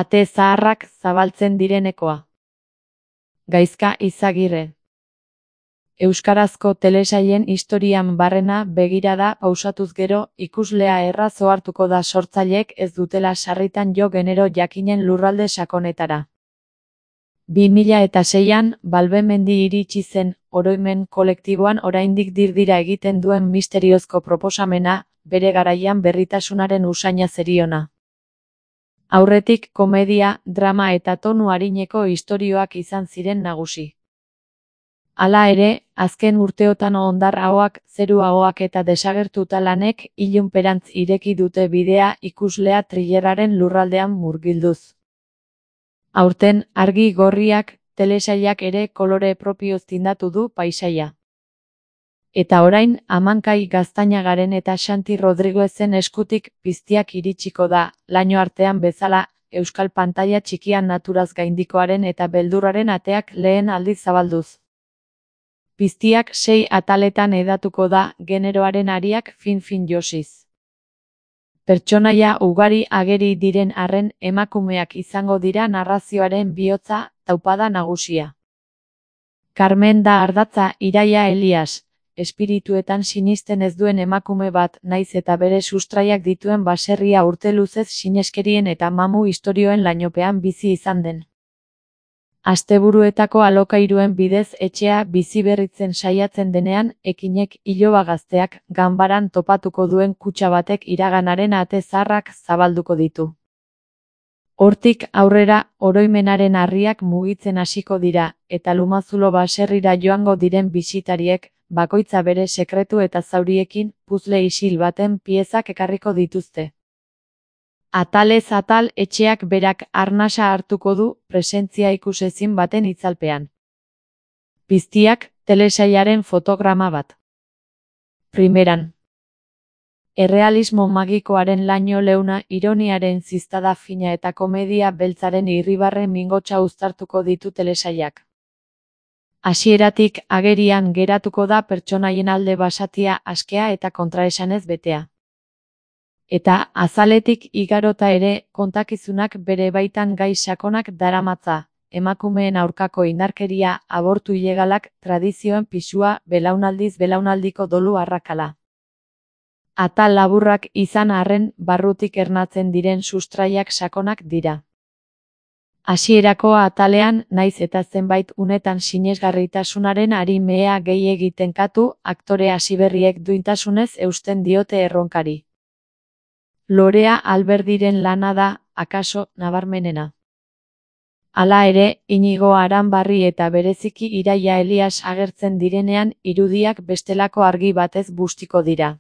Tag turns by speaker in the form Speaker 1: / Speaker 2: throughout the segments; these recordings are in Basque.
Speaker 1: Ate zaharrak zabaltzen direnekoa. Gaizka Izagirre. Euskarazko telesailen historian barrena begirada pausatuz gero, ikuslea erraz ohartuko da sortzaileek ez dutela sarritan jo genero jakinen lurralde sakonetara. 2006an, Balbemendi iritsi zen, oroimen kolektiboan oraindik dirdira egiten duen misteriozko proposamena, bere garaian berritasunaren usaina zeriona. Aurretik komedia, drama eta tonu arineko istorioak izan ziren nagusi. Hala ere, azken urteotan hondar ahoak, zeru ahoak eta desagertuta lanek ilunperantz ireki dute bidea ikuslea thrillerraren lurraldean murgilduz. Aurten, argi gorriak, telesailak ere kolore propioz tindatu du paisaia. Eta orain, Amankai Gaztañagaren eta Xanti Rodriguezen eskutik piztiak iritsiko da, laino artean bezala, euskal pantaila txikian naturaz gaindikoaren eta beldurraren ateak lehen aldiz zabalduz. Piztiak 6 ataletan hedatuko da, generoaren ariak fin-fin josiz. Pertsonaia ugari ageri diren arren emakumeak izango dira narrazioaren bihotza, taupada nagusia. Carmen da ardatza Iraia Elias, espirituetan sinisten ez duen emakume bat, naiz eta bere sustraiak dituen baserria urte luzez sineskerien eta mamu istorioen lainopean bizi izan den. Asteburuetako alokairuen bidez etxea biziberritzen saiatzen denean, ekinek iloba gazteak ganbaran topatuko duen kutxa batek iraganaren ate zaharrak zabalduko ditu. Hortik aurrera, oroimenaren harriak mugitzen hasiko dira, eta Lumazulo baserrira joango diren bisitariek, bakoitza bere sekretu eta zauriekin, puzzle isil baten piezak ekarriko dituzte. Atalez atal etxeak berak arnasa hartuko du presentzia ikusezin baten itzalpean. Piztiak, telesailaren fotograma bat. Primeran. Errealismo magikoaren laino leuna, ironiaren ziztada fina eta komedia beltzaren irribarre mingotsa uztartuko ditu telesailak. Hasieratik agerian geratuko da pertsonaien alde basatia askea eta kontraesanez betea. Eta azaletik igarota ere, kontakizunak bere baitan gai sakonak daramatza, emakumeen aurkako indarkeria, abortu ilegalak, tradizioen pisua, belaunaldiz belaunaldiko dolu arrakala. Atal laburrak izan arren, barrutik ernatzen diren sustraiak sakonak dira. Hasierako atalean, naiz eta zenbait unetan sinesgarritasunaren arimea gehi egiten katu, aktore hasiberriek duintasunez eusten diote erronkari. Lorea Alberdiren lana da, akaso, nabarmenena. Hala ere, Inigo Aranbarri eta bereziki Iraia Elias agertzen direnean, irudiak bestelako argi batez bustiko dira.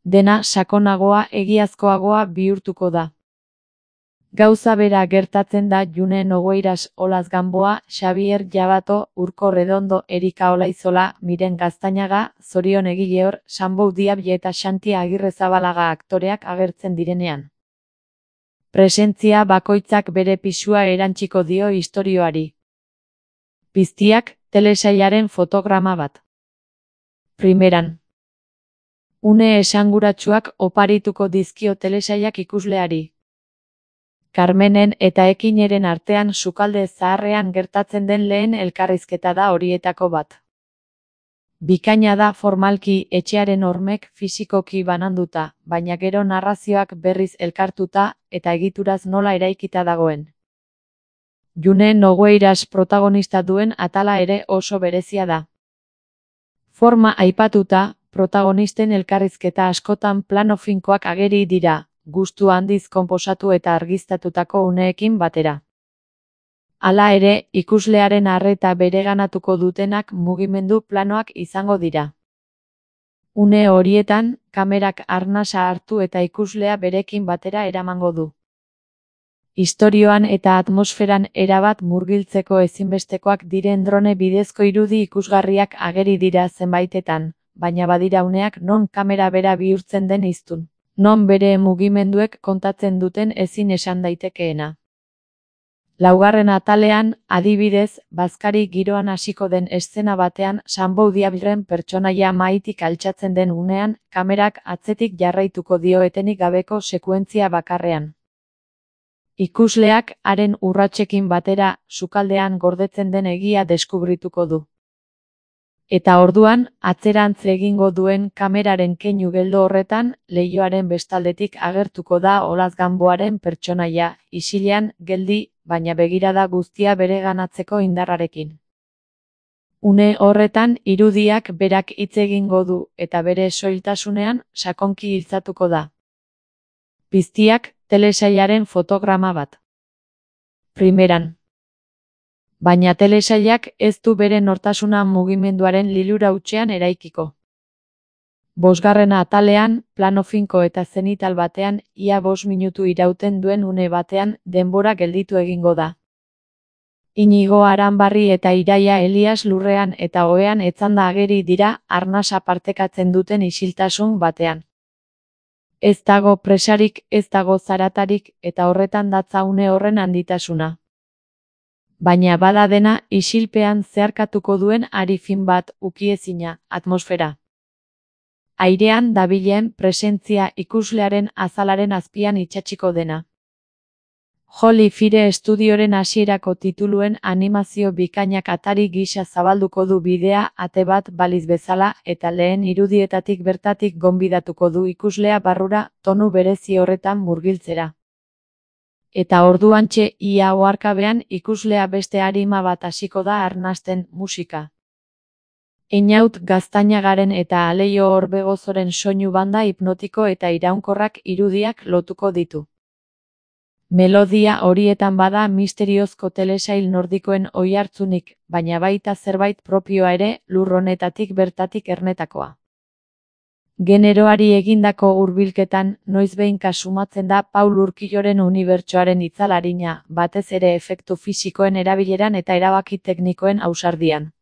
Speaker 1: Dena sakonagoa, egiazkoagoa bihurtuko da. Gauza bera gertatzen da June Nogueiras, Olaz Gamboa, Xabier Jabato, Urko Redondo, Erika Olaizola, Miren Gaztañaga, Zorion Egileor, Sanbou Diabie eta Xanti Agirrezabalaga aktoreak agertzen direnean. Presentzia bakoitzak bere pisua erantsiko dio istorioari. Piztiak, telesailaren fotograma bat. Primeran. Une esanguratsuak oparituko dizkio telesailak ikusleari. Carmenen eta Ekineren artean sukalde zaharrean gertatzen den lehen elkarrizketa da horietako bat. Bikaina da formalki etxearen hormek fisikoki bananduta, baina gero narrazioak berriz elkartuta eta egituraz nola eraikita dagoen. June Nogueiras protagonista duen atala ere oso berezia da. Forma aipatuta, protagonisten elkarrizketa askotan plano finkoak ageri dira, gustu handiz konposatu eta argiztatutako uneekin batera. Hala ere, ikuslearen arreta bereganatuko dutenak mugimendu planoak izango dira. Une horietan, kamerak arnasa hartu eta ikuslea berekin batera eramango du. Istorioan eta atmosferan erabat murgiltzeko ezinbestekoak diren drone bidezko irudi ikusgarriak ageri dira zenbaitetan, baina badira uneak non kamera bera bihurtzen den hiztun. Non bere mugimenduek kontatzen duten ezin esan daitekeena. Laugarren atalean, adibidez, bazkari giroan hasiko den eszena batean Sanbou Diabren pertsonaia mahaitik altxatzen den unean, kamerak atzetik jarraituko dio etenik gabeko sekuentzia bakarrean. Ikusleak haren urratsekin batera sukaldean gordetzen den egia deskubrituko du. Eta orduan, atzerantz egingo duen kameraren keinu geldo horretan, leihoaren bestaldetik agertuko da Olaz Gamboaren pertsonaia, isilean, geldi, baina begirada guztia bereganatzeko indarrarekin. Une horretan irudiak berak hitz egingo du eta bere soiltasunean sakonki iltzatuko da. Piztiak, telesailaren fotograma bat. Primeran. Baina telesailak ez du bere nortasuna mugimenduaren lilura hutsean eraikiko. Bosgarrena atalean, plano finko eta zenital batean, ia 5 minutu irauten duen une batean, denbora gelditu egingo da. Inigo Aranbarri eta Iraia Elias lurrean eta ohean etzanda ageri dira arnasa partekatzen duten isiltasun batean. Ez dago presarik, ez dago zaratarik, eta horretan datza une horren handitasuna. Baina bada dena isilpean zeharkatuko duen ari fin bat, ukiezina, atmosfera. Airean dabilen presentzia ikuslearen azalaren azpian itsatsiko dena. Holy Fire Studioren hasierako tituluen animazio bikainak atari gisa zabalduko du bidea ate bat baliz bezala eta lehen irudietatik bertatik gonbidatuko du ikuslea barrura tonu berezi horretan murgiltzera. Eta orduantxe ia oharkabean ikuslea beste arima bat hasiko da arnasten musika. Einaut Gaztainagaren eta Aleio Orbegozoren soinu banda hipnotiko eta iraunkorrak irudiak lotuko ditu. Melodia horietan bada misteriozko telesail nordikoen oihartzunik, baina baita zerbait propioa ere lur honetatik bertatik ernetakoa. Generoari egindako hurbilketan noizbehinka sumatzen da Paul Urquijoren unibertsoaren itzalarina, batez ere efektu fisikoen erabileran eta erabaki teknikoen ausardian.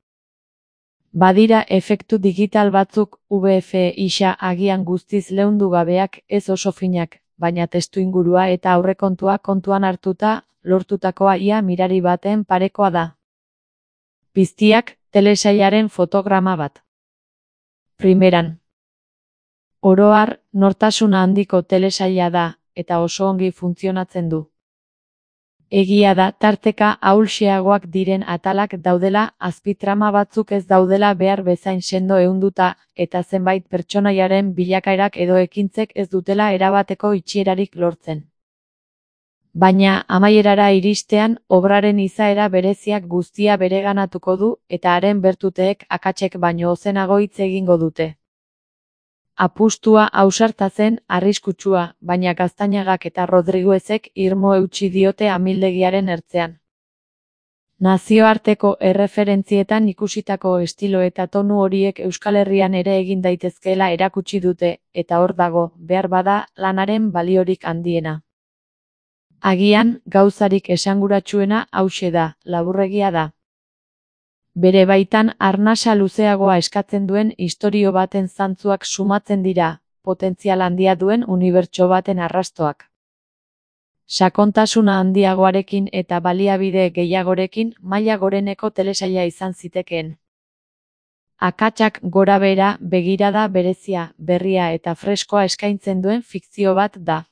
Speaker 1: Badira efektu digital batzuk VFX agian guztiz leundu gabeak ez oso finak, baina testuingurua eta aurrekontua kontuan hartuta, lortutakoa ia mirari baten parekoa da. Piztiak, telesailaren fotograma bat. Primeran. Oro har, nortasuna handiko telesaila da, eta oso ongi funtzionatzen du. Egia da tarteka ahulxeagoak diren atalak daudela, azpitrama batzuk ez daudela behar bezain sendo ehunduta, eta zenbait pertsonaiaren bilakaerak edo ekintzek ez dutela erabateko itxierarik lortzen. Baina amaierara iristean, obraren izaera bereziak guztia bereganatuko du, eta haren bertuteek akatsek baino ozenago hitz egingo dute. Apustua ausarta zen, arriskutsua, baina Gaztainagak eta Rodriguezek irmo eutsi diote amildegiaren ertzean. Nazioarteko erreferentzietan ikusitako estilo eta tonu horiek Euskal Herrian ere egin daitezkeela erakutsi dute, eta hor dago, behar bada, lanaren baliorik handiena. Agian, gauzarik esanguratsuena hauxe da, laburregia da. Bere baitan arnasa luzeagoa eskatzen duen istorio baten zantzuak sumatzen dira, potentzial handia duen unibertso baten arrastoak. Sakontasuna handiagoarekin eta baliabide gehiagorekin maila goreneko telesaila izan zitekeen. Akatsak gorabehera begirada berezia, berria eta freskoa eskaintzen duen fikzio bat da.